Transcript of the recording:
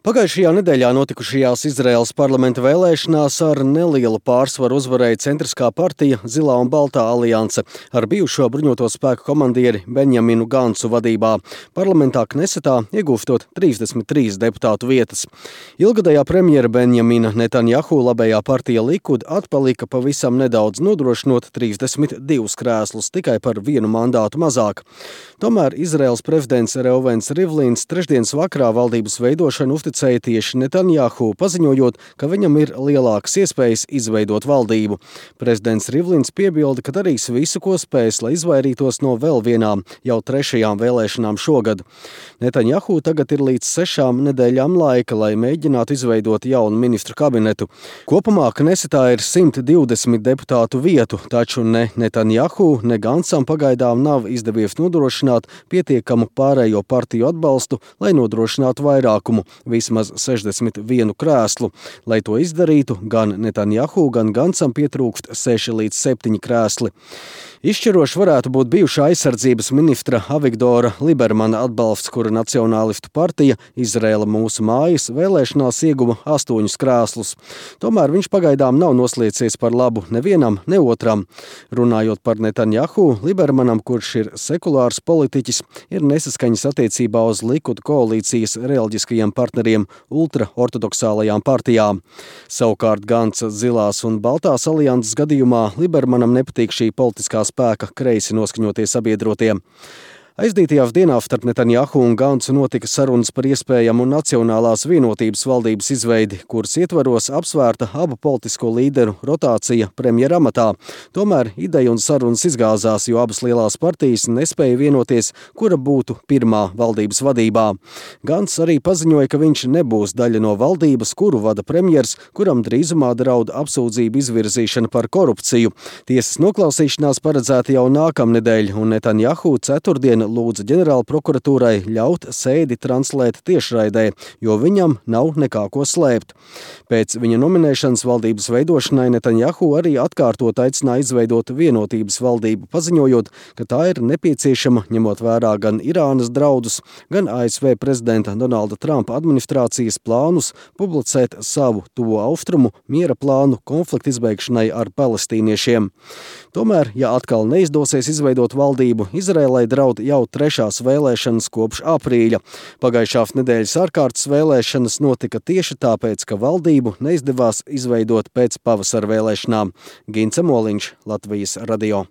Pagājušajā nedēļā notikušajās Izraēlas parlamenta vēlēšanās ar nelielu pārsvaru uzvarēja centriskā partija Zilā un Baltā alianse ar bijušo bruņoto spēku komandieri Benjaminu Gancu vadībā. Parlamentā Knesetā iegūstot 33 deputātu vietas. Ilgadējā premjera Benjamina Netanjahu labējā partija Likud atpalika pavisam nedaudz, nodrošinot 32 krēslus, tikai par vienu mandātu mazāk. Tomēr Izraēlas prezidents Reuvens Rivlins trešdienas vakarā valdības veidošanu uzticēja tieši Netanjahu, paziņojot, ka viņam ir lielākas iespējas izveidot valdību. Prezidents Rivlins piebilda, ka darīs visu, ko spēs, lai izvairītos no vēl vienām, jau 3. vēlēšanām šogad. Netanjahu tagad ir līdz 6 nedēļām laika, lai mēģinātu izveidot jaunu ministru kabinetu. Kopumā Knesetā ir 120 deputātu vietu, taču ne Netanjahu, ne Gancam pagaidām nav izdevies nodrošināt pietiekamu pārējo partiju atbalstu, lai nodrošinātu vairākumu, vismaz 61 krēslu. Lai to izdarītu, gan Netanjahu, gan Gancam pietrūkst 6 līdz 7 krēsli. Izšķiroši varētu būt bijušā aizsardzības ministra Avigdora Libermana atbalsts, kura Nacionālistu partija Izraēla mūsu mājas vēlēšanās ieguva 8 krēslus. Tomēr viņš pagaidām nav nosliecies par labu nevienam, ne otram. Runājot par Netanjahu, Libermanam, kurš ir sekulārs politiķis, ir nesaskaņas attiecībā uz Likud koalīcijas reliģiskajiem partneriem ultraortodoksālajām partijām. Savukārt Ganca Zilās un Baltās alianses gadījumā Libermanam nepatīk šī politiskā spēka kreisi noskaņotie sabiedrotie. Aizdītajās dienās starp Netanjahu un Gancu notika sarunas par iespējamu nacionālās vienotības valdības izveidi, kuras ietvaros apsvērta abu politisko līderu rotācija premjera amatā. Tomēr ideja un sarunas izgāzās, jo abas lielās partijas nespēja vienoties, kura būtu pirmā valdības vadībā. Gants arī paziņoja, ka viņš nebūs daļa no valdības, kuru vada premjers, kuram drīzumā draud apsūdzību izvirzīšana par korupciju. Tiesas noklausīšanās paredzēta jau nākamnedēļ, un Netanjahu ceturtdien lūdza ģenerāla prokuratūrai ļaut sēdi translēt tiešraidē, jo viņam nav nekā ko slēpt. Pēc viņa nominēšanas valdības veidošanai Netanjahu arī atkārtot aicināja izveidot vienotības valdību, paziņojot, ka tā ir nepieciešama, ņemot vērā gan Irānas draudus, gan ASV prezidenta Donalda Trumpa administrācijas plānus publicēt savu tuvo austrumu miera plānu konflikta izbeigšanai ar palestīniešiem. Tomēr, ja atkal neizdosies izveidot valdību, Izraēlai draud jau 3. vēlēšanas kopš aprīļa. Pagājušās nedēļas ārkārtas vēlēšanas notika tieši tāpēc, ka valdību neizdevās izveidot pēc pavasara vēlēšanām. Gints Moliņš, Latvijas radio.